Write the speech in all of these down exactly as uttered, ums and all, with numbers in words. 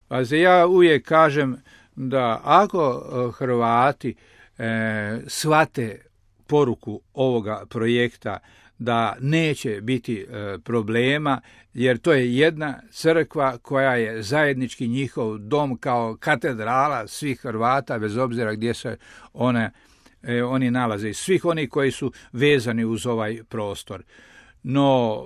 Pa ja uvijek kažem da ako Hrvati e, shvate poruku ovoga projekta, da neće biti e, problema, jer to je jedna crkva koja je zajednički njihov dom kao katedrala svih Hrvata, bez obzira gdje se one, e, oni nalaze, i svih oni koji su vezani uz ovaj prostor. No,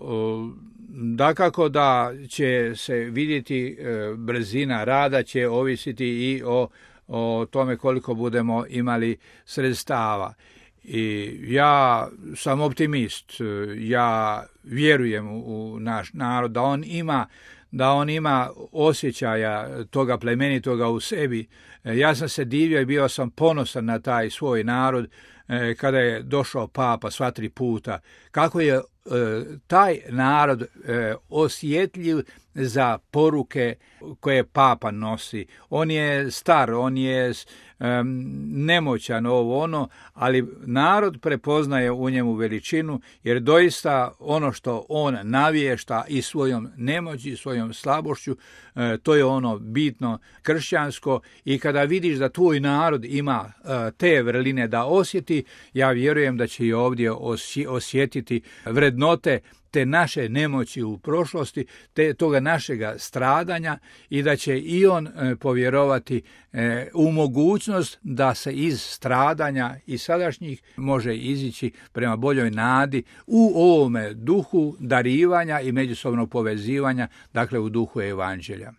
dakako da će se vidjeti brzina rada, će ovisiti i o, o tome koliko budemo imali sredstava. I ja sam optimist, ja vjerujem u naš narod da on ima, da on ima osjećaja toga plemenitoga u sebi. Ja sam se divio i bio sam ponosan na taj svoj narod kada je došao papa sva tri puta, kako je taj narod osjetljiv za poruke koje papa nosi. On je star, on je nemoćan, ovo ono, ali narod prepoznaje u njemu veličinu, jer doista ono što on navješta i svojom nemoći, svojom slabošću, to je ono bitno kršćansko, i kada vidiš da tvoj narod ima te vrline da osjeti, ja vjerujem da će i ovdje osjetiti vrednote te naše nemoći u prošlosti, te toga našega stradanja, i da će i on e, povjerovati e, u mogućnost da se iz stradanja i sadašnjih može izići prema boljoj nadi u ovome duhu darivanja i međusobnog povezivanja, dakle u duhu evanđelja.